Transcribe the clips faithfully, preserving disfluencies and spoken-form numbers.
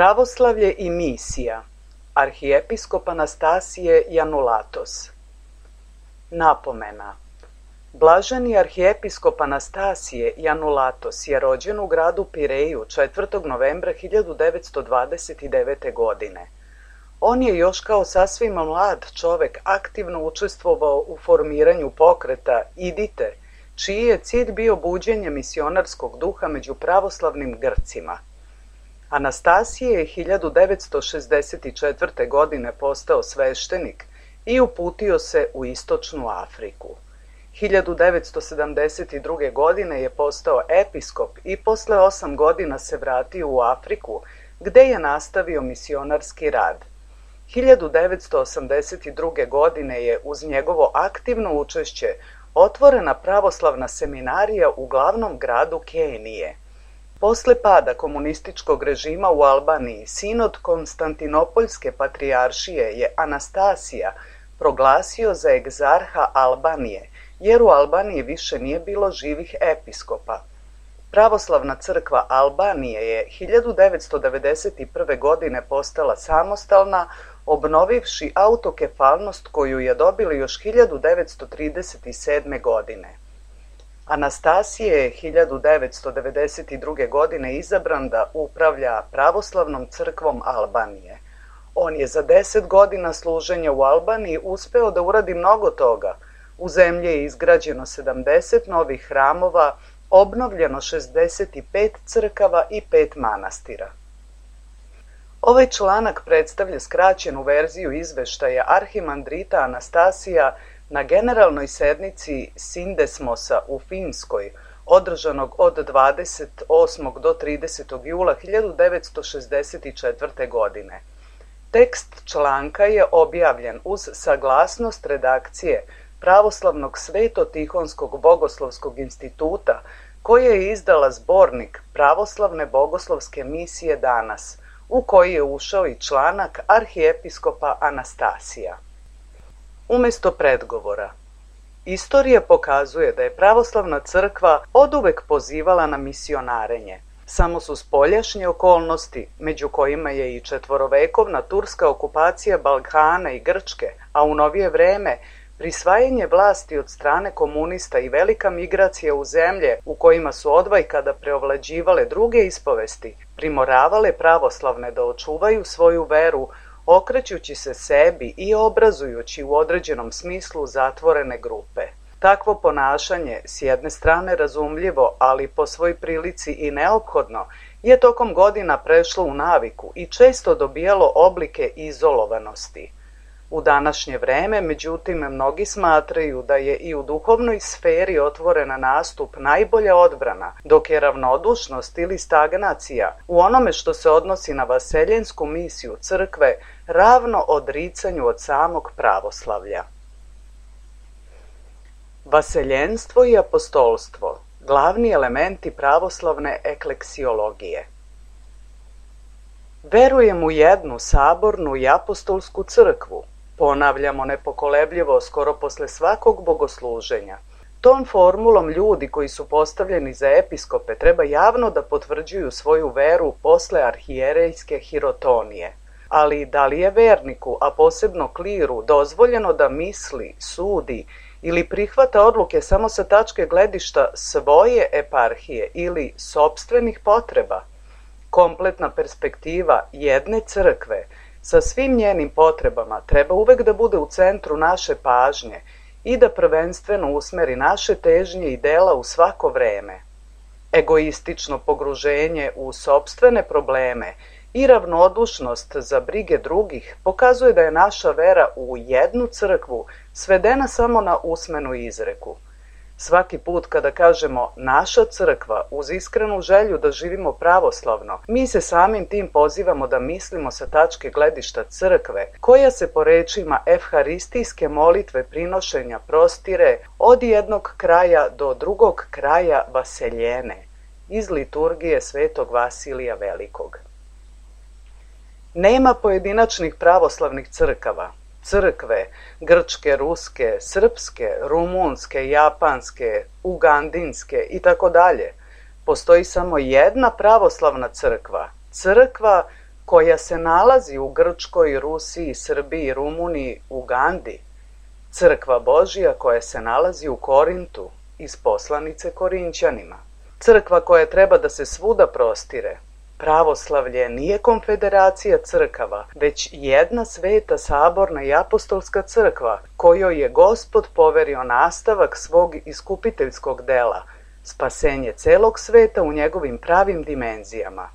Pravoslavlje i misija. Arhijepiskop Anastasije Janulatos. Napomena. Blaženi arhijepiskop Anastasije Janulatos je rođen u gradu Pireju četvrtog novembra hiljadu devetsto dvadeset devete. godine. On je još kao sasvim mlad čovek aktivno učestvovao u formiranju pokreta Idite, čiji je cilj bio buđenje misionarskog duha među pravoslavnim Grcima. Anastasije je hiljadu devetsto šezdeset četvrte. godine postao sveštenik i uputio se u istočnu Afriku. hiljadu devetsto sedamdeset druge. godine je postao episkop i posle osam godina se vratio u Afriku, gde je nastavio misionarski rad. hiljadu devetsto osamdeset druge. godine je uz njegovo aktivno učešće otvorena pravoslavna seminarija u glavnom gradu Kenije. Posle pada komunističkog režima u Albaniji, sinod Konstantinopoljske patrijaršije je Anastasija proglasio za egzarha Albanije, jer u Albaniji više nije bilo živih episkopa. Pravoslavna crkva Albanije je hiljadu devetsto devedeset prve. godine postala samostalna, obnovivši autokefalnost koju je dobili još hiljadu devetsto trideset sedme. godine. Anastasije je hiljadu devetsto devedeset druge. godine izabran da upravlja pravoslavnom crkvom Albanije. On je za deset godina služenja u Albaniji uspeo da uradi mnogo toga. U zemlji je izgrađeno sedamdeset novih hramova, obnovljeno šezdeset pet crkava i pet manastira. Ovaj članak predstavlja skraćenu verziju izveštaja arhimandrita Anastasija na generalnoj sednici Sindesmosa u Finskoj, održanog od dvadeset osmog do tridesetog jula hiljadu devetsto šezdeset četvrte. godine. Tekst članka je objavljen uz saglasnost redakcije Pravoslavnog Sveto-Tihonskog bogoslovskog instituta, koja je izdala zbornik Pravoslavne bogoslovske misije danas, u koji je ušao i članak arhijepiskopa Anastasija. Umesto predgovora. Istorija pokazuje da je pravoslavna crkva oduvek pozivala na misionarenje. Samo su spoljašnje okolnosti, među kojima je i četvorovekovna turska okupacija Balkana i Grčke, a u novije vreme prisvajanje vlasti od strane komunista i velika migracija u zemlje u kojima su odvajkada preovlađivale druge ispovesti, primoravale pravoslavne da očuvaju svoju veru, okrećući se sebi i obrazujući u određenom smislu zatvorene grupe. Takvo ponašanje, s jedne strane razumljivo, ali po svoj prilici i neophodno, je tokom godina prešlo u naviku i često dobijalo oblike izolovanosti. U današnje vreme, međutim, mnogi smatraju da je i u duhovnoj sferi otvorena nastup najbolja odbrana, dok je ravnodušnost ili stagnacija u onome što se odnosi na vaseljensku misiju crkve ravno odricanju od samog pravoslavlja. Vaseljenstvo i apostolstvo, glavni elementi pravoslavne ekleksiologije. Verujem u jednu sabornu i apostolsku crkvu, ponavljamo nepokolebljivo skoro posle svakog bogosluženja. Tom formulom ljudi koji su postavljeni za episkope treba javno da potvrđuju svoju veru posle arhijerejske hirotonije. Ali da li je verniku, a posebno kliru, dozvoljeno da misli, sudi ili prihvata odluke samo sa tačke gledišta svoje eparhije ili sopstvenih potreba? Kompletna perspektiva jedne crkve sa svim njenim potrebama treba uvek da bude u centru naše pažnje i da prvenstveno usmeri naše težnje i dela u svako vreme. Egoistično pogruženje u sopstvene probleme i ravnodušnost za brige drugih pokazuje da je naša vera u jednu crkvu svedena samo na usmenu izreku. Svaki put kada kažemo naša crkva uz iskrenu želju da živimo pravoslavno, mi se samim tim pozivamo da mislimo sa tačke gledišta crkve, koja se po rečima evharistijske molitve prinošenja prostire od jednog kraja do drugog kraja vaseljene, iz liturgije svetog Vasilija Velikog. Nema pojedinačnih pravoslavnih crkava. Crkve, grčke, ruske, srpske, rumunske, japanske, ugandinske i tako dalje. Postoji samo jedna pravoslavna crkva, crkva koja se nalazi u Grčkoj, Rusiji, Srbiji, Rumuniji, Ugandi. Crkva Božija koja se nalazi u Korintu, iz poslanice Korinćanima. Crkva koja treba da se svuda prostire. Pravoslavlje nije konfederacija crkava, već jedna sveta saborna i apostolska crkva, kojoj je Gospod poverio nastavak svog iskupiteljskog dela, spasenje celog sveta u njegovim pravim dimenzijama.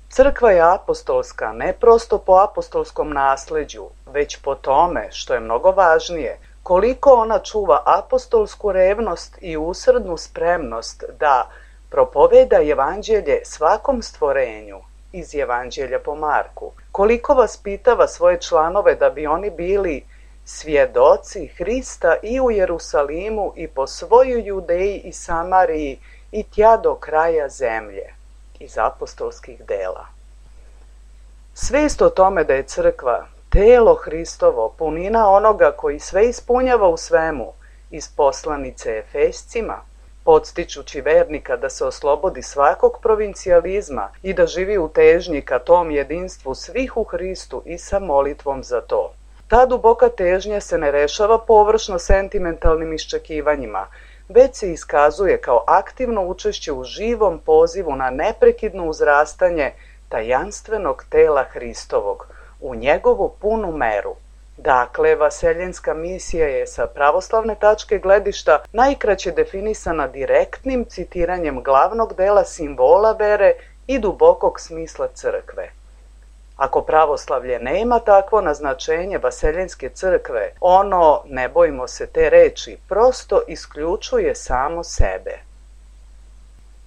Crkva je apostolska ne prosto po apostolskom nasleđu, već po tome, što je mnogo važnije, koliko ona čuva apostolsku revnost i usrdnu spremnost da propoveda evanđelje svakom stvorenju, iz Evanđelja po Marku, koliko vaspitava svoje članove da bi oni bili svjedoci Hrista i u Jerusalimu i po svojoj Judeji i Samariji i tja do kraja zemlje, iz apostolskih dela. Svest o tome da je crkva telo Hristovo, punina onoga koji sve ispunjava u svemu, iz poslanice Efescima, podstičući vernika da se oslobodi svakog provincijalizma i da živi u težnji ka tom jedinstvu svih u Hristu i sa molitvom za to. Ta duboka težnja se ne rešava površno sentimentalnim iščekivanjima, već se iskazuje kao aktivno učešće u živom pozivu na neprekidno uzrastanje tajanstvenog tela Hristovog, u njegovu punu meru. Dakle, vaseljenska misija je sa pravoslavne tačke gledišta najkraće definisana direktnim citiranjem glavnog dela simbola vere i dubokog smisla crkve. Ako pravoslavlje nema takvo naznačenje vaseljenske crkve, ono, ne bojmo se te reči, prosto isključuje samo sebe.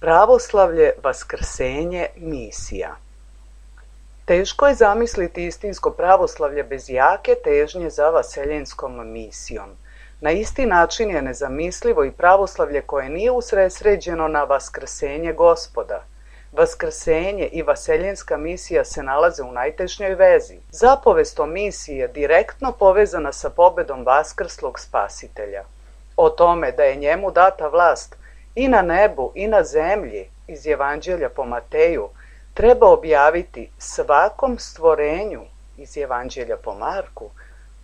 Pravoslavlje, vaskrsenje, misija. Teško je zamisliti istinsko pravoslavlje bez jake težnje za vaseljenskom misijom. Na isti način je nezamislivo i pravoslavlje koje nije usredsređeno na vaskrsenje Gospoda. Vaskrsenje i vaseljenska misija se nalaze u najtešnjoj vezi. Zapovest o misiji je direktno povezana sa pobedom vaskrslog spasitelja. o tome da je njemu data vlast i na nebu i na zemlji iz Evanđelja po Mateju treba objaviti svakom stvorenju iz Evanđelja po Marku,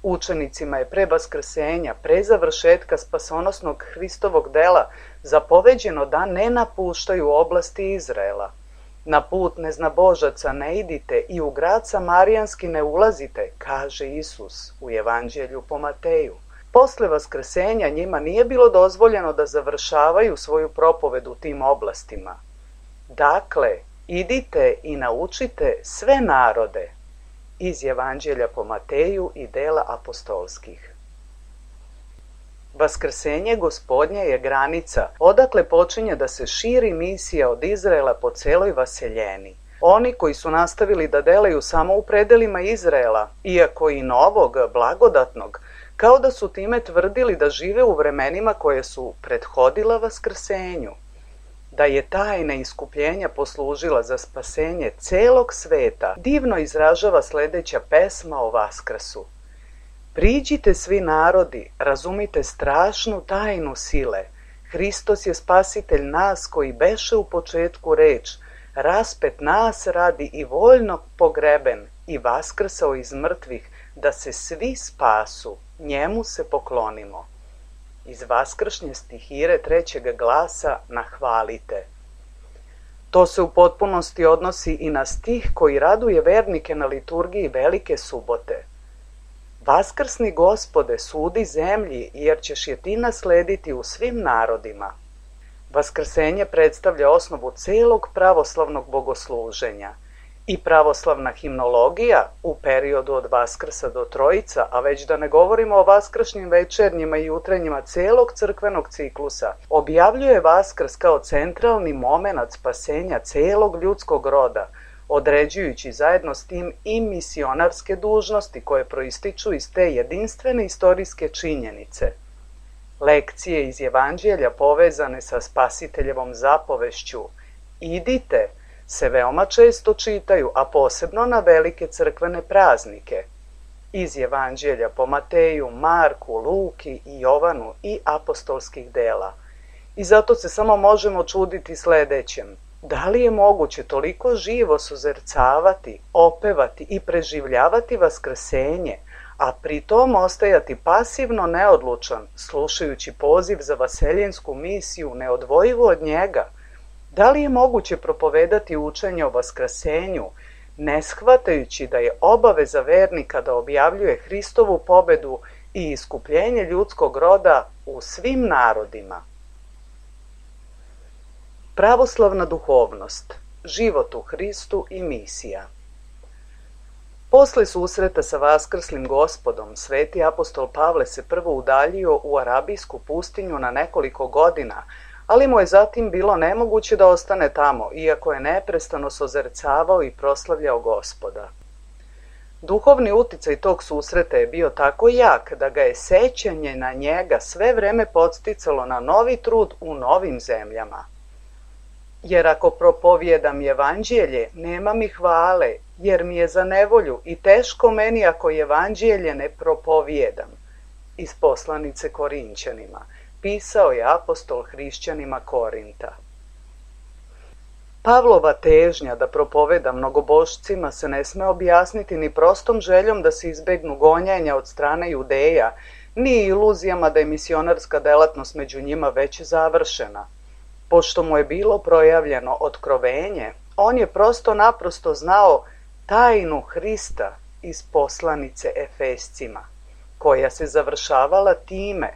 učenicima je pre vaskrsenja, pre završetka spasonosnog Hristovog dela zapoveđeno da ne napuštaju oblasti Izraela. Na put neznabožaca ne idite i u grad Samarijanski ne ulazite, kaže Isus u Evanđelju po Mateju. Posle vaskrsenja njima nije bilo dozvoljeno da završavaju svoju propovedu u tim oblastima. Dakle, idite i naučite sve narode iz Evanđelja po Mateju i dela apostolskih. Vaskrsenje Gospodnje je granica odakle počinje da se širi misija od Izraela po celoj vaseljeni. Oni koji su nastavili da delaju samo u predelima Izraela, iako i novog, blagodatnog, kao da su time tvrdili da žive u vremenima koje su prethodila vaskrsenju. Da je tajna iskupljenja poslužila za spasenje celog sveta, divno izražava sledeća pesma o Vaskrsu. Priđite svi narodi, razumite strašnu tajnu sile. Hristos je spasitelj nas koji beše u početku reč, raspet nas radi i voljno pogreben i vaskrsao iz mrtvih, da se svi spasu, njemu se poklonimo. Iz vaskršnje stihire trećeg glasa na hvalite. To se u potpunosti odnosi i na stih koji raduje vernike na liturgiji Velike subote. Vaskrsni Gospode, sudi zemlji, jer ćeš je ti naslediti u svim narodima. Vaskrsenje predstavlja osnovu celog pravoslavnog bogosluženja. I pravoslavna himnologija u periodu od Vaskrsa do Trojica, a već da ne govorimo o vaskršnjim večernjima i jutrenjima celog crkvenog ciklusa, objavljuje Vaskrs kao centralni momenat spasenja celog ljudskog roda, određujući zajedno s tim i misionarske dužnosti koje proističu iz te jedinstvene istorijske činjenice. Lekcije iz Evanđelja povezane sa Spasiteljevom zapovešću "Idite" se veoma često čitaju, a posebno na velike crkvene praznike. Iz Evanđelja po Mateju, Marku, Luki i Jovanu i apostolskih dela. I zato se samo možemo čuditi sledećem. Da li je moguće toliko živo suzercavati, opevati i preživljavati vaskrsenje, a pritom ostajati pasivno neodlučan, slušajući poziv za vaseljensku misiju neodvojivo od njega? Da li je moguće propovedati učenje o vaskrsenju, ne shvatajući da je obaveza vernika da objavljuje Hristovu pobedu i iskupljenje ljudskog roda u svim narodima? Pravoslavna duhovnost, život u Hristu i misija. Posle susreta sa vaskrslim Gospodom, sveti apostol Pavle se prvo udaljio u arabijsku pustinju na nekoliko godina, ali mu je zatim bilo nemoguće da ostane tamo, iako je neprestano sozercavao i proslavljao Gospoda. Duhovni uticaj tog susreta je bio tako jak da ga je sećanje na njega sve vreme podsticalo na novi trud u novim zemljama. Jer ako propovijedam evanđelje, nema mi hvale, jer mi je za nevolju i teško meni ako evanđelje ne propovijedam. Iz poslanice Korinćanima. Pisao je apostol hrišćanima Korinta. Pavlova težnja da propoveda mnogobošcima se ne sme objasniti ni prostom željom da se izbegnu gonjenja od strane Judeja, ni iluzijama da je misionarska delatnost među njima već završena. Pošto mu je bilo projavljeno otkrovenje, on je prosto naprosto znao tajnu Hrista iz poslanice Efescima, koja se završavala time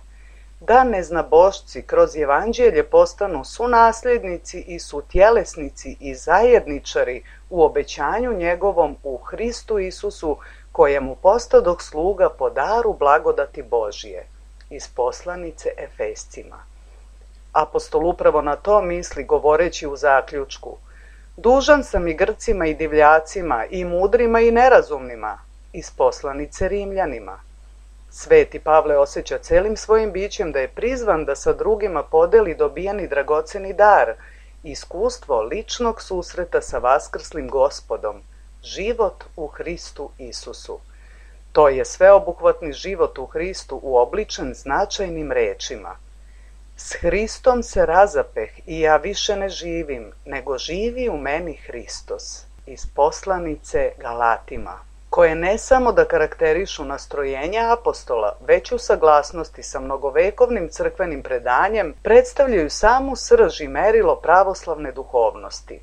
da neznabošci kroz evanđelje postanu sunasljednici i sutjelesnici i zajedničari u obećanju njegovom u Hristu Isusu, kojemu postadoh sluga po daru blagodati Božije. Iz poslanice Efescima. Apostol upravo na to misli govoreći u zaključku: dužan sam i Grcima i divljacima, i mudrima i nerazumnima. Iz poslanice Rimljanima. Sveti Pavle osjeća celim svojim bićem da je prizvan da sa drugima podeli dobijeni dragoceni dar, iskustvo ličnog susreta sa vaskrslim Gospodom, život u Hristu Isusu. To je sveobuhvatni život u Hristu uobličen značajnim rečima. S Hristom se razapeh i ja više ne živim, nego živi u meni Hristos. Iz poslanice Galatima, koje ne samo da karakterišu nastrojenja apostola, već u saglasnosti sa mnogovekovnim crkvenim predanjem predstavljaju samu srž i merilo pravoslavne duhovnosti.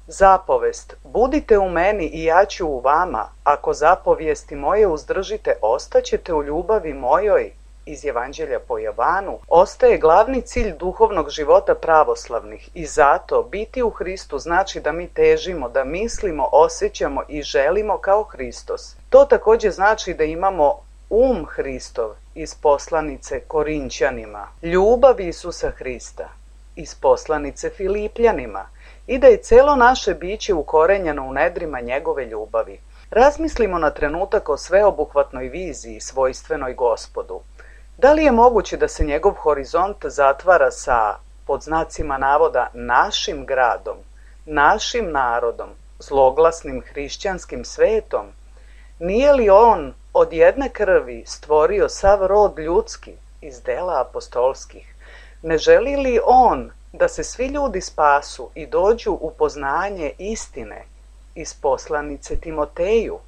Zapovest, budite u meni i ja ću u vama, ako zapovijesti moje uzdržite, ostaćete u ljubavi mojoj, iz Evanđelja po Jovanu, ostaje glavni cilj duhovnog života pravoslavnih i zato biti u Hristu znači da mi težimo, da mislimo, osjećamo i želimo kao Hristos. To također znači da imamo um Hristov, iz poslanice Korinćanima, ljubav Isusa Hrista, iz poslanice Filipljanima, i da je celo naše biće ukorenjeno u nedrima njegove ljubavi. Razmislimo na trenutak o sveobuhvatnoj viziji svojstvenoj Gospodu. Da li je moguće da se njegov horizont zatvara sa, pod znacima navoda, našim gradom, našim narodom, zloglasnim hrišćanskim svetom? Nije li on od jedne krvi stvorio sav rod ljudski iz dela apostolskih? Ne želi li on da se svi ljudi spasu i dođu u poznanje istine, iz poslanice Timoteju?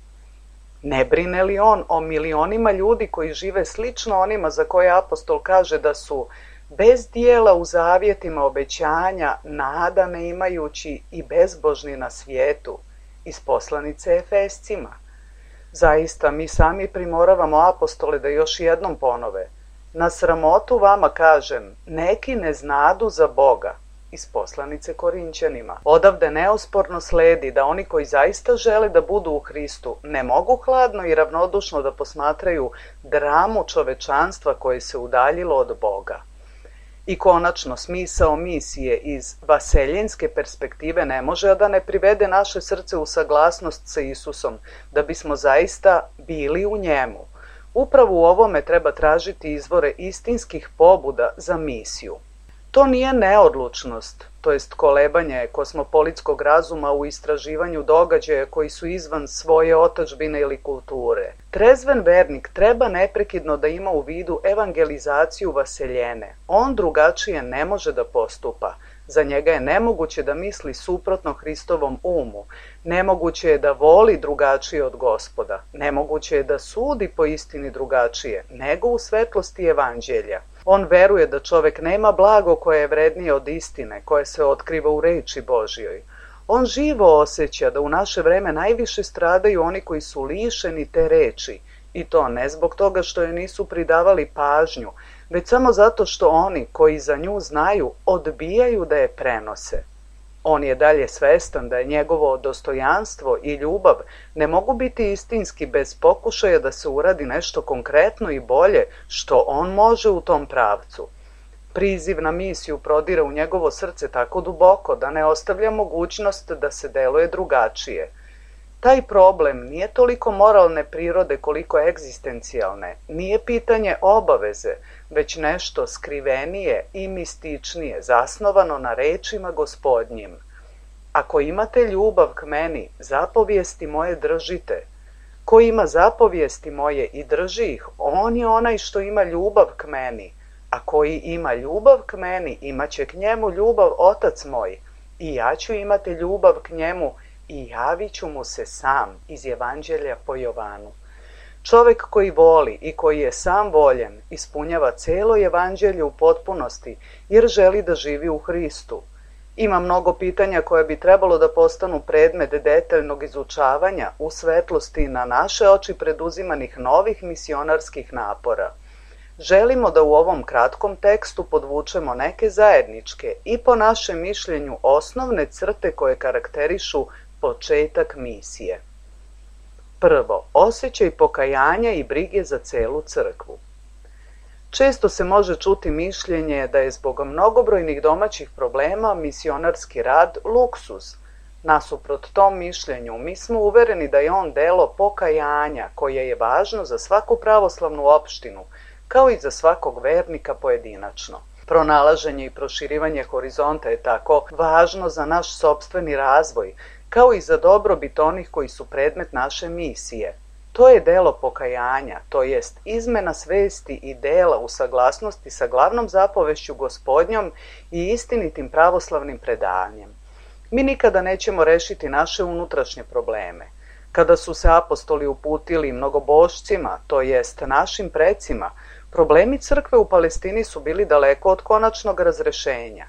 Ne brine li on o milionima ljudi koji žive slično onima za koje apostol kaže da su bez dijela u zavjetima obećanja, nada ne imajući i bezbožni na svijetu, iz poslanice Efescima? Zaista, mi sami primoravamo apostole da još jednom ponove: na sramotu vama kažem, neki ne znadu za Boga, iz poslanice Korinćanima. Odavde neosporno sledi da oni koji zaista žele da budu u Hristu ne mogu hladno i ravnodušno da posmatraju dramu čovečanstva koje se udaljilo od Boga. I konačno, smisao misije iz vaseljenske perspektive ne može da ne privede naše srce u saglasnost sa Isusom, da bismo zaista bili u njemu. Upravo u ovome treba tražiti izvore istinskih pobuda za misiju. To nije neodlučnost, to jest kolebanje kosmopolitskog razuma u istraživanju događaja koji su izvan svoje otadžbine ili kulture. Trezven vernik treba neprekidno da ima u vidu evangelizaciju vaseljene. On drugačije ne može da postupa. Za njega je nemoguće da misli suprotno Hristovom umu. Nemoguće je da voli drugačije od Gospoda. Nemoguće je da sudi po istini drugačije, nego u svetlosti evanđelja. On veruje da čovek nema blago koje je vrednije od istine, koje se otkriva u reči Božjoj. On živo osjeća da u naše vreme najviše stradaju oni koji su lišeni te reči, i to ne zbog toga što je nisu pridavali pažnju, već samo zato što oni koji za nju znaju odbijaju da je prenose. On je dalje svestan da je njegovo dostojanstvo i ljubav ne mogu biti istinski bez pokušaja da se uradi nešto konkretno i bolje što on može u tom pravcu. Priziv na misiju prodire u njegovo srce tako duboko da ne ostavlja mogućnost da se deluje drugačije. Taj problem nije toliko moralne prirode koliko egzistencijalne, nije pitanje obaveze, već nešto skrivenije i mističnije, zasnovano na rečima Gospodnjim. Ako imate ljubav k meni, zapovijesti moje držite. Ko ima zapovijesti moje i drži ih, on je onaj što ima ljubav k meni. A koji ima ljubav k meni, imaće k njemu ljubav Otac moj. I ja ću imati ljubav k njemu i javit ću mu se sam, iz Evanđelja po Jovanu. Čovek koji voli i koji je sam voljen ispunjava celo evanđelje u potpunosti jer želi da živi u Hristu. Ima mnogo pitanja koje bi trebalo da postanu predmet detaljnog izučavanja u svetlosti na naše oči preduzimanih novih misionarskih napora. Želimo da u ovom kratkom tekstu podvučemo neke zajedničke i po našem mišljenju osnovne crte koje karakterišu početak misije. Prvo, osjećaj pokajanja i brige za celu crkvu. Često se može čuti mišljenje da je zbog mnogobrojnih domaćih problema misionarski rad luksuz. Nasuprot tom mišljenju, mi smo uvereni da je on delo pokajanja koje je važno za svaku pravoslavnu opštinu, kao i za svakog vernika pojedinačno. Pronalaženje i proširivanje horizonta je tako važno za naš sopstveni razvoj, kao i za dobrobit onih koji su predmet naše misije. To je delo pokajanja, to jest izmena svesti i dela u saglasnosti sa glavnom zapovešću Gospodnjom i istinitim pravoslavnim predanjem. Mi nikada nećemo rešiti naše unutrašnje probleme. Kada su se apostoli uputili mnogobošcima, to jest našim precima, problemi crkve u Palestini su bili daleko od konačnog razrešenja.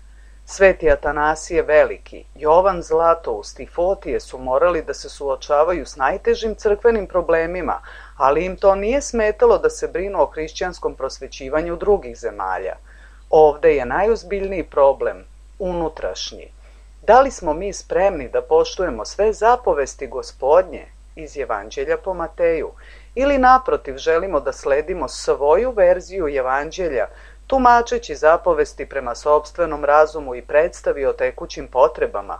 Sveti Atanasije Veliki, Jovan Zlatoust i Fotije su morali da se suočavaju s najtežim crkvenim problemima, ali im to nije smetalo da se brinu o hrišćanskom prosvećivanju drugih zemalja. Ovde je najozbiljniji problem, unutrašnji. Da li smo mi spremni da poštujemo sve zapovesti Gospodnje iz Evanđelja po Mateju, ili naprotiv želimo da sledimo svoju verziju Evanđelja, tumačeći zapovesti prema sopstvenom razumu i predstavi o tekućim potrebama?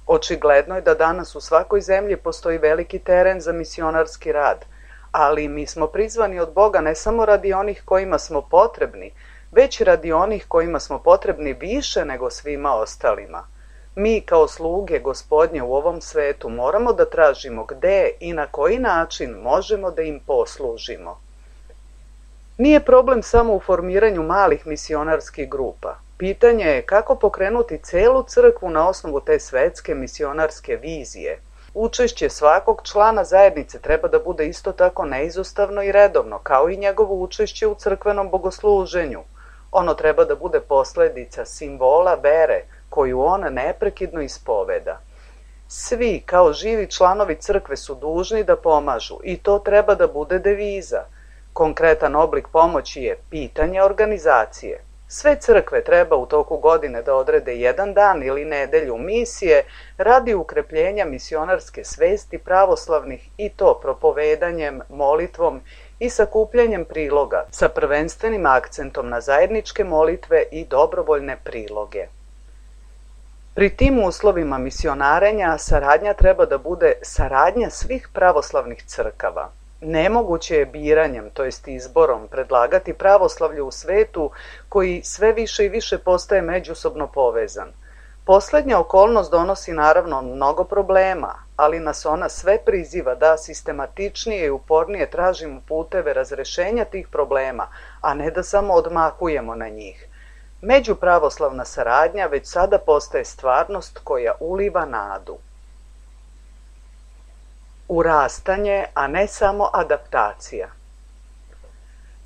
Očigledno je da danas u svakoj zemlji postoji veliki teren za misionarski rad, ali mi smo prizvani od Boga ne samo radi onih kojima smo potrebni, već radi onih kojima smo potrebni više nego svima ostalima. Mi kao sluge Gospodnje u ovom svetu moramo da tražimo gde i na koji način možemo da im poslužimo. Nije problem samo u formiranju malih misionarskih grupa. Pitanje je kako pokrenuti celu crkvu na osnovu te svetske misionarske vizije. Učešće svakog člana zajednice treba da bude isto tako neizostavno i redovno, kao i njegovo učešće u crkvenom bogosluženju. Ono treba da bude posledica simbola vere koju on neprekidno ispoveda. Svi, kao živi članovi crkve, su dužni da pomažu i to treba da bude deviza. Konkretan oblik pomoći je pitanje organizacije. Sve crkve treba u toku godine da odrede jedan dan ili nedelju misije radi ukrepljenja misionarske svesti pravoslavnih, i to propovedanjem, molitvom i sakupljanjem priloga sa prvenstvenim akcentom na zajedničke molitve i dobrovoljne priloge. Pri tim uslovima misionarenja saradnja treba da bude saradnja svih pravoslavnih crkava. Nemoguće je biranjem, to jest izborom, predlagati pravoslavlje u svetu koji sve više i više postaje međusobno povezan. Poslednja okolnost donosi naravno mnogo problema, ali nas ona sve priziva da sistematičnije i upornije tražimo puteve razrešenja tih problema, a ne da samo odmahujemo na njih. Međupravoslavna saradnja već sada postaje stvarnost koja uliva nadu. Urastanje, a ne samo adaptacija.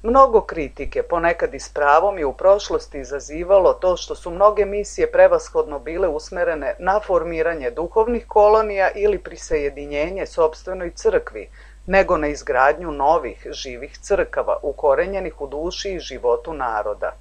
Mnogo kritike, ponekad i s pravom, je u prošlosti izazivalo to što su mnoge misije prevashodno bile usmerene na formiranje duhovnih kolonija ili prisajedinjenje sopstvenoj crkvi, nego na izgradnju novih, živih crkava, ukorenjenih u duši i životu naroda.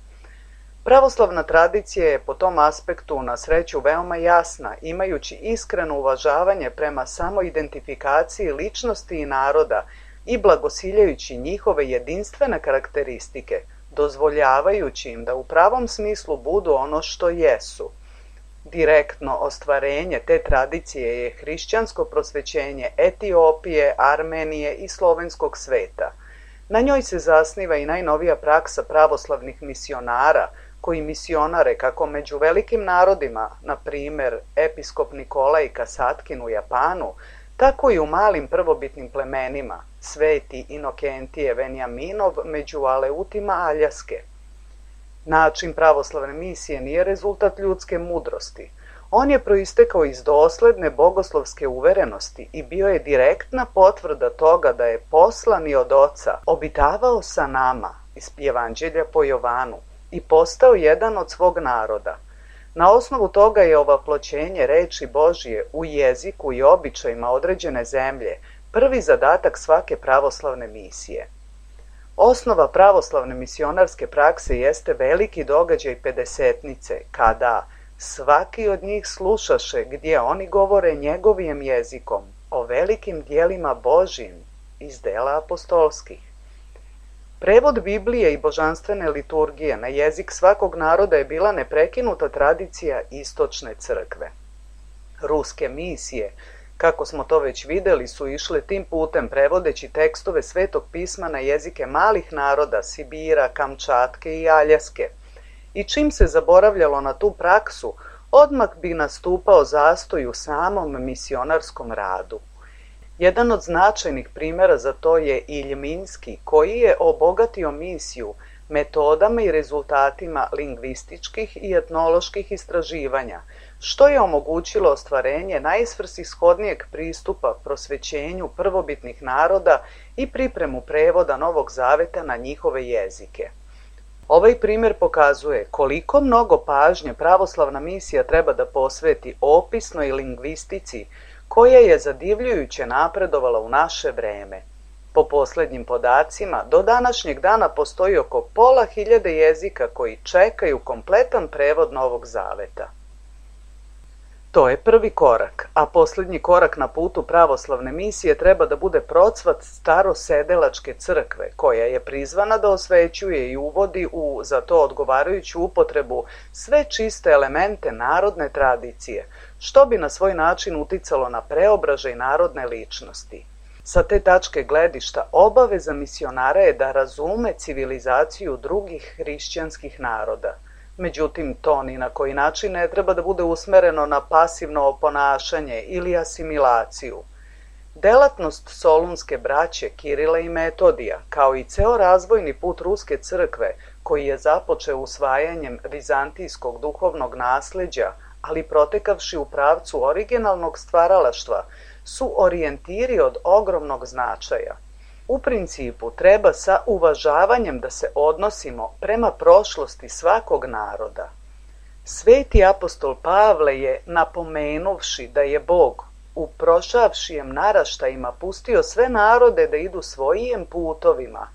Pravoslavna tradicija je po tom aspektu na sreću veoma jasna, imajući iskreno uvažavanje prema samoidentifikaciji ličnosti i naroda i blagosiljajući njihove jedinstvene karakteristike, dozvoljavajući im da u pravom smislu budu ono što jesu. Direktno ostvarenje te tradicije je hrišćansko prosvećenje Etiopije, Armenije i slovenskog sveta. Na njoj se zasniva i najnovija praksa pravoslavnih misionara, koji misionare kako među velikim narodima, na primer episkop Nikolaj Kasatkin u Japanu, tako i u malim prvobitnim plemenima, sveti Inokentije Venjaminov među Aleutima Aljaske. Način pravoslavne misije nije rezultat ljudske mudrosti. On je proistekao iz dosledne bogoslovske uverenosti i bio je direktna potvrda toga da je poslani od Oca obitavao sa nama iz Evanđelja po Jovanu i postao jedan od svog naroda. Na osnovu toga je ovaploćenje reči Božije u jeziku i običajima određene zemlje prvi zadatak svake pravoslavne misije. Osnova pravoslavne misionarske prakse jeste veliki događaj Pedesetnice, kada svaki od njih slušaše gdje oni govore njegovim jezikom o velikim dijelima Božjim iz dela apostolskih. Prevod Biblije i božanstvene liturgije na jezik svakog naroda je bila neprekinuta tradicija istočne crkve. Ruske misije, kako smo to već videli, su išle tim putem prevodeći tekstove Svetog pisma na jezike malih naroda Sibira, Kamčatke i Aljaske. I čim se zaboravljalo na tu praksu, odmah bi nastupao zastoj u samom misionarskom radu. Jedan od značajnih primjera za to je Iljminski, koji je obogatio misiju metodama i rezultatima lingvističkih i etnoloških istraživanja, što je omogućilo ostvarenje najsvrsishodnijeg pristupa prosvećenju prvobitnih naroda i pripremu prevoda Novog Zaveta na njihove jezike. Ovaj primjer pokazuje koliko mnogo pažnje pravoslavna misija treba da posveti opisnoj lingvistici, koja je zadivljujuće napredovala u naše vreme. Po posljednjim podacima, do današnjeg dana postoji oko pola hiljade jezika koji čekaju kompletan prevod Novog Zaveta. To je prvi korak, a posljednji korak na putu pravoslavne misije treba da bude procvat starosedelačke crkve, koja je prizvana da osvećuje i uvodi u za to odgovarajuću upotrebu sve čiste elemente narodne tradicije, što bi na svoj način uticalo na preobražaj narodne ličnosti. Sa te tačke gledišta, obaveza misionara je da razume civilizaciju drugih hrišćanskih naroda. Međutim, to ni na koji način ne treba da bude usmereno na pasivno oponašanje ili asimilaciju. Delatnost solunske braće Kirila i Metodija, kao i ceo razvojni put Ruske crkve, koji je započeo usvajanjem vizantijskog duhovnog nasleđa, ali protekavši u pravcu originalnog stvaralaštva, su orijentiri od ogromnog značaja. U principu treba sa uvažavanjem da se odnosimo prema prošlosti svakog naroda. Sveti apostol Pavle je, napomenuvši da je Bog u prošavšijem naraštajima pustio sve narode da idu svojim putovima,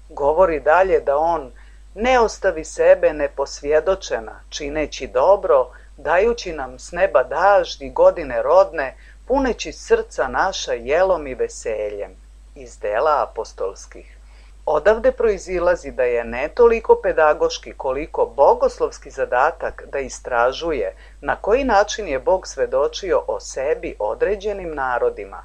govori dalje da on ne ostavi sebe neposvjedočena, čineći dobro, dajući nam s neba daždi godine rodne, puneći srca naša jelom i veseljem. Iz dela apostolskih. Odavde proizilazi da je ne toliko pedagoški koliko bogoslovski zadatak da istražuje na koji način je Bog svedočio o sebi određenim narodima.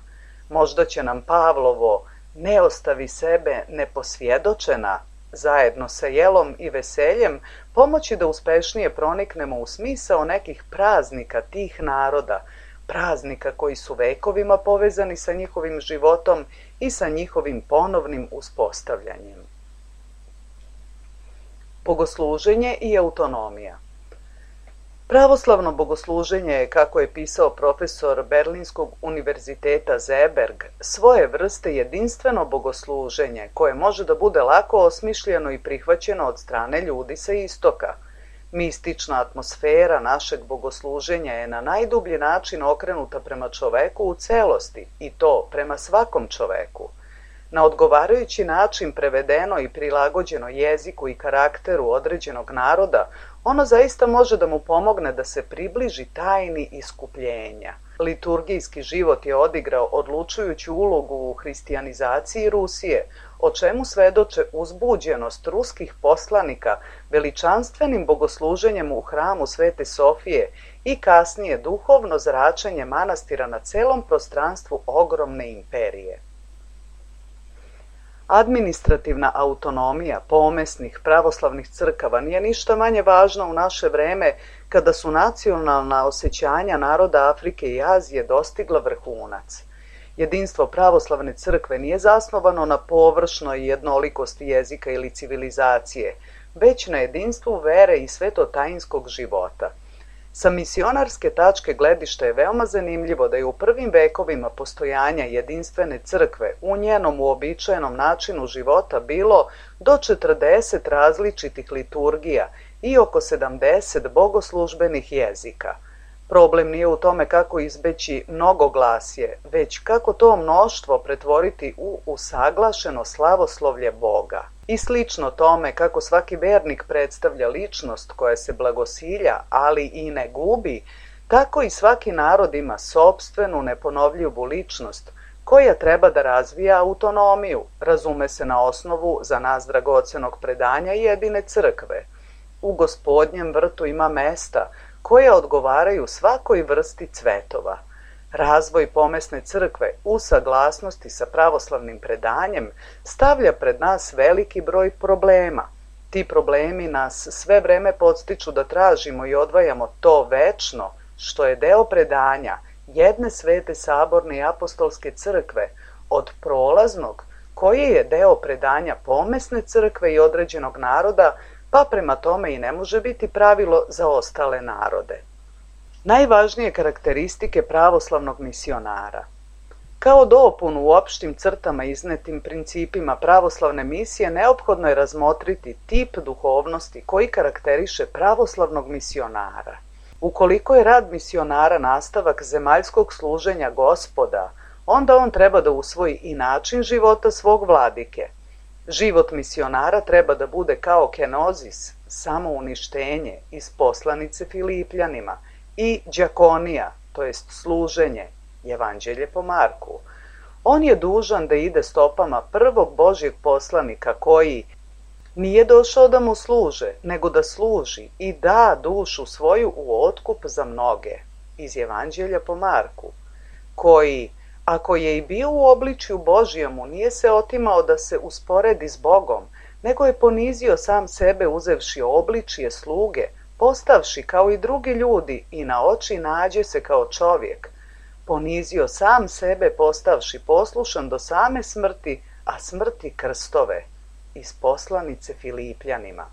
Možda će nam Pavlovo ne ostavi sebe neposvjedočena zajedno sa jelom i veseljem pomoći da uspešnije proniknemo u smisao nekih praznika tih naroda, praznika koji su vekovima povezani sa njihovim životom i sa njihovim ponovnim uspostavljanjem. Bogosluženje i autonomija. Pravoslavno bogosluženje je, kako je pisao profesor Berlinskog univerziteta Zeeberg, svoje vrste jedinstveno bogosluženje koje može da bude lako osmišljeno i prihvaćeno od strane ljudi sa istoka. Mistična atmosfera našeg bogosluženja je na najdublji način okrenuta prema čoveku u celosti, i to prema svakom čoveku. Na odgovarajući način prevedeno i prilagođeno jeziku i karakteru određenog naroda, ono zaista može da mu pomogne da se približi tajni iskupljenja. Liturgijski život je odigrao odlučujuću ulogu u hrišćanizaciji Rusije, o čemu svedoče uzbuđenost ruskih poslanika veličanstvenim bogosluženjem u hramu Svete Sofije i kasnije duhovno zračenje manastira na celom prostranstvu ogromne imperije. Administrativna autonomija pomesnih pravoslavnih crkava nije ništa manje važna u naše vreme kada su nacionalna osjećanja naroda Afrike i Azije dostigla vrhunac. Jedinstvo pravoslavne crkve nije zasnovano na površnoj jednolikosti jezika ili civilizacije, već na jedinstvu vere i svetotajinskog života. Sa misionarske tačke gledišta je veoma zanimljivo da je u prvim vekovima postojanja jedinstvene crkve u njenom uobičajenom načinu života bilo do četrdeset različitih liturgija i oko sedamdeset bogoslužbenih jezika. Problem nije u tome kako izbeći mnogoglasje, već kako to mnoštvo pretvoriti u usaglašeno slavoslovlje Boga. I slično tome kako svaki vernik predstavlja ličnost koja se blagosilja, ali i ne gubi, tako i svaki narod ima sopstvenu neponovljivu ličnost koja treba da razvija autonomiju, razume se na osnovu za nas dragocenog predanja jedine crkve. U Gospodnjem vrtu ima mesta koja odgovaraju svakoj vrsti cvetova. Razvoj pomesne crkve u saglasnosti sa pravoslavnim predanjem stavlja pred nas veliki broj problema. Ti problemi nas sve vreme podstiču da tražimo i odvajamo to večno što je deo predanja jedne svete saborne i apostolske crkve od prolaznog, koji je deo predanja pomesne crkve i određenog naroda, pa prema tome i ne može biti pravilo za ostale narode. Najvažnije karakteristike pravoslavnog misionara. Kao dopunu u opštim crtama iznetim principima pravoslavne misije neophodno je razmotriti tip duhovnosti koji karakteriše pravoslavnog misionara. Ukoliko je rad misionara nastavak zemaljskog služenja Gospoda, onda on treba da usvoji i način života svog vladike. Život misionara treba da bude kao kenozis, samouništenje iz poslanice Filipljanima, i đakonija, to jest služenje, Evanđelje po Marku. On je dužan da ide stopama prvog Božjeg poslanika koji nije došao da mu služe, nego da služi i da dušu svoju u otkup za mnoge, iz Evanđelja po Marku, koji, ako je i bio u obličju Božjemu, nije se otimao da se usporedi s Bogom, nego je ponizio sam sebe uzevši obličje sluge, postavši kao i drugi ljudi i na oči nađe se kao čovjek. Ponizio sam sebe postavši poslušan do same smrti, a smrti krstove, iz poslanice Filipljanima.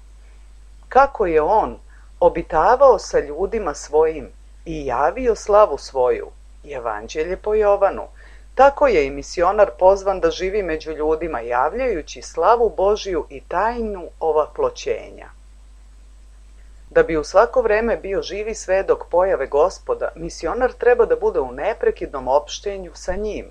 Kako je on obitavao sa ljudima svojim i javio slavu svoju, Evanđelje po Jovanu, tako je i misionar pozvan da živi među ljudima, javljajući slavu Božiju i tajnu ovaploćenja. Da bi u svako vreme bio živi svedok pojave Gospoda, misionar treba da bude u neprekidnom opštenju sa njim,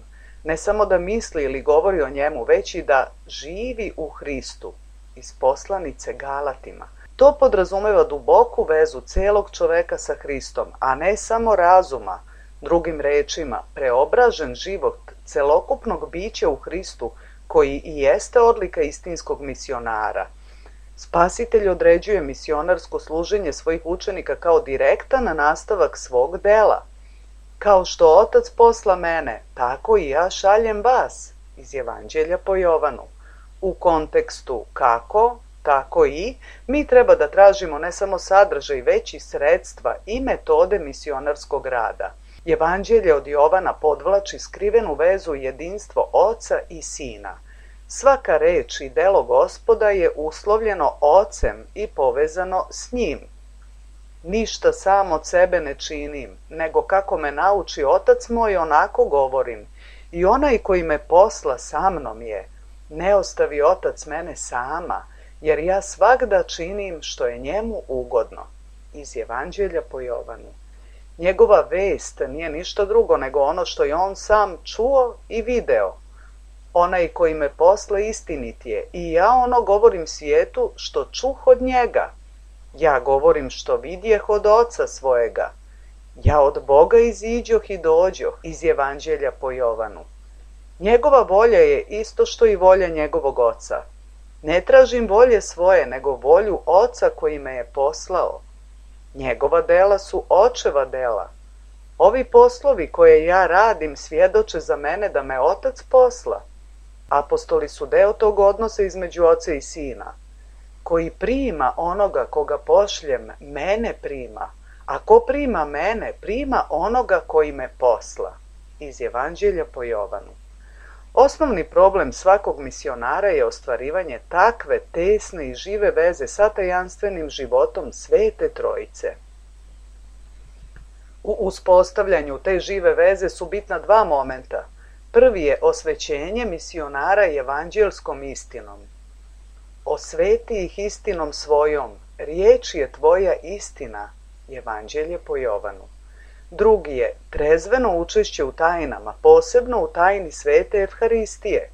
ne samo da misli ili govori o njemu, već i da živi u Hristu, iz poslanice Galatima. To podrazumeva duboku vezu celog čoveka sa Hristom, a ne samo razuma, drugim rečima, preobražen život celokupnog bića u Hristu, koji i jeste odlika istinskog misionara. Spasitelj određuje misionarsko služenje svojih učenika kao direktan nastavak svog dela. Kao što Otac posla mene, tako i ja šaljem vas, iz Evanđelja po Jovanu. U kontekstu kako, tako i, mi treba da tražimo ne samo sadržaj, već i sredstva i metode misionarskog rada. Evanđelje od Jovana podvlači skrivenu vezu jedinstvo Oca i Sina. Svaka reč i delo Gospoda je uslovljeno Ocem i povezano s njim. Ništa sam od sebe ne činim, nego kako me nauči Otac moj, onako govorim. I onaj koji me posla sa mnom je, ne ostavi Otac mene sama, jer ja svagda činim što je njemu ugodno. Iz Evanđelja po Jovanu. Njegova vest nije ništa drugo nego ono što je on sam čuo i video. Onaj koji me posla istinit je, i ja ono govorim svijetu što čuh od njega. Ja govorim što vidjeh od Oca svojega. Ja od Boga iziđoh i dođoh, iz Evanđelja po Jovanu. Njegova volja je isto što i volja njegovog Oca. Ne tražim volje svoje, nego volju Oca koji me je poslao. Njegova dela su Očeva dela. Ovi poslovi koje ja radim svjedoče za mene da me Otac posla. Apostoli su deo tog odnosa između Oca i Sina. Koji prima onoga koga pošljem, mene prima, a ko prima mene, prima onoga koji me posla. Iz Evanđelja po Jovanu. Osnovni problem svakog misionara je ostvarivanje takve tesne i žive veze sa tajanstvenim životom Svete Trojice. U uspostavljanju te žive veze su bitna dva momenta. Prvi je osvećenje misionara evanđelskom istinom. Osveti ih istinom svojom, riječ je tvoja istina, Evanđelje po Jovanu. Drugi je trezveno učešće u tajnama, posebno u tajni Svete Evharistije.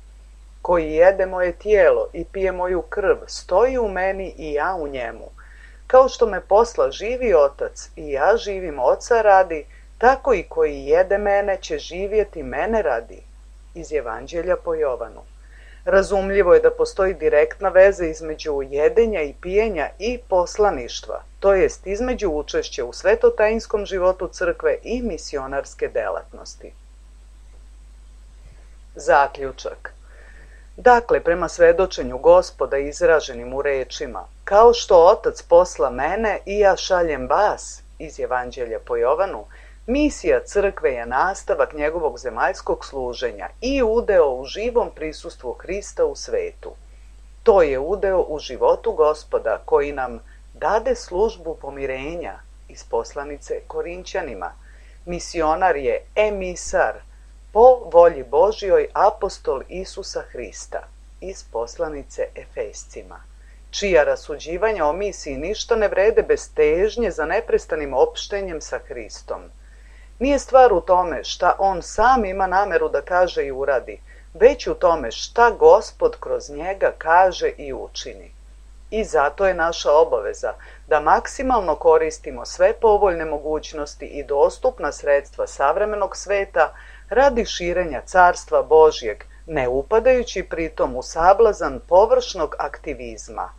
Koji jede moje tijelo i pije moju krv, stoji u meni i ja u njemu. Kao što me posla živi Otac i ja živim Oca radi, tako i koji jede mene će živjeti mene radi. Iz Evanđelja po Jovanu. Razumljivo je da postoji direktna veza između jedenja i pijenja i poslaništva, to jest između učešća u svetotajinskom životu crkve i misionarske delatnosti. Zaključak. Dakle, prema svedočenju Gospoda izraženim u rečima, kao što Otac posla mene i ja šaljem vas, iz Evanđelja po Jovanu, Misija crkve je nastavak njegovog zemaljskog služenja i udeo u živom prisustvu Hrista u svetu. To je udeo u životu Gospoda koji nam dade službu pomirenja iz poslanice Korinćanima. Misionar je emisar po volji Božjoj, apostol Isusa Hrista iz poslanice Efescima, čija rasuđivanja o misiji ništa ne vrede bez težnje za neprestanim opštenjem sa Hristom. Nije stvar u tome šta on sam ima nameru da kaže i uradi, već u tome šta Gospod kroz njega kaže i učini. I zato je naša obaveza da maksimalno koristimo sve povoljne mogućnosti i dostupna sredstva savremenog sveta radi širenja carstva Božjeg, ne upadajući pritom u sablazan površnog aktivizma.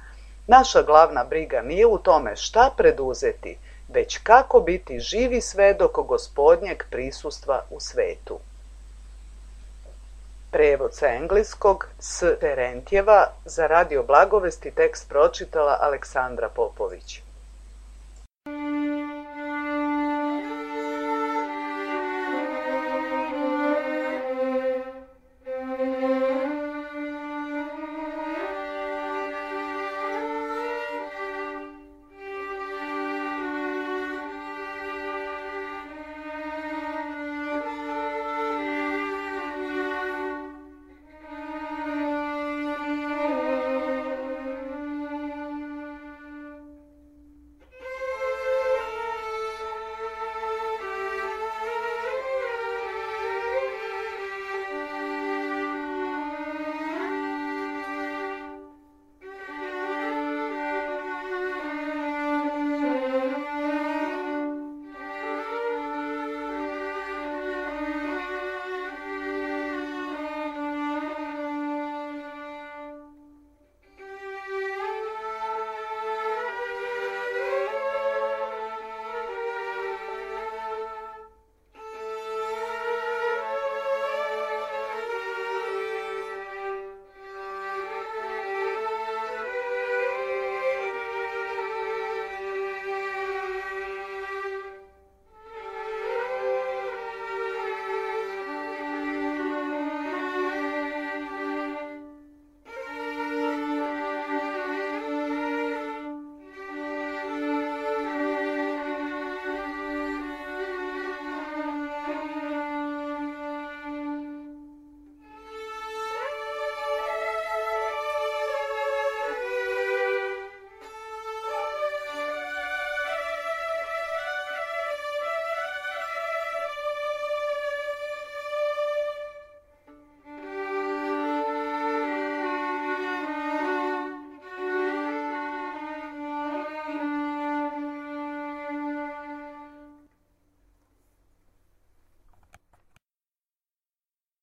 Naša glavna briga nije u tome šta preduzeti, već kako biti živi svedok Gospodnjeg prisustva u svetu. Prevod sa engleskog s Terentjeva, za Radio Blagovesti tekst pročitala Aleksandra Popović.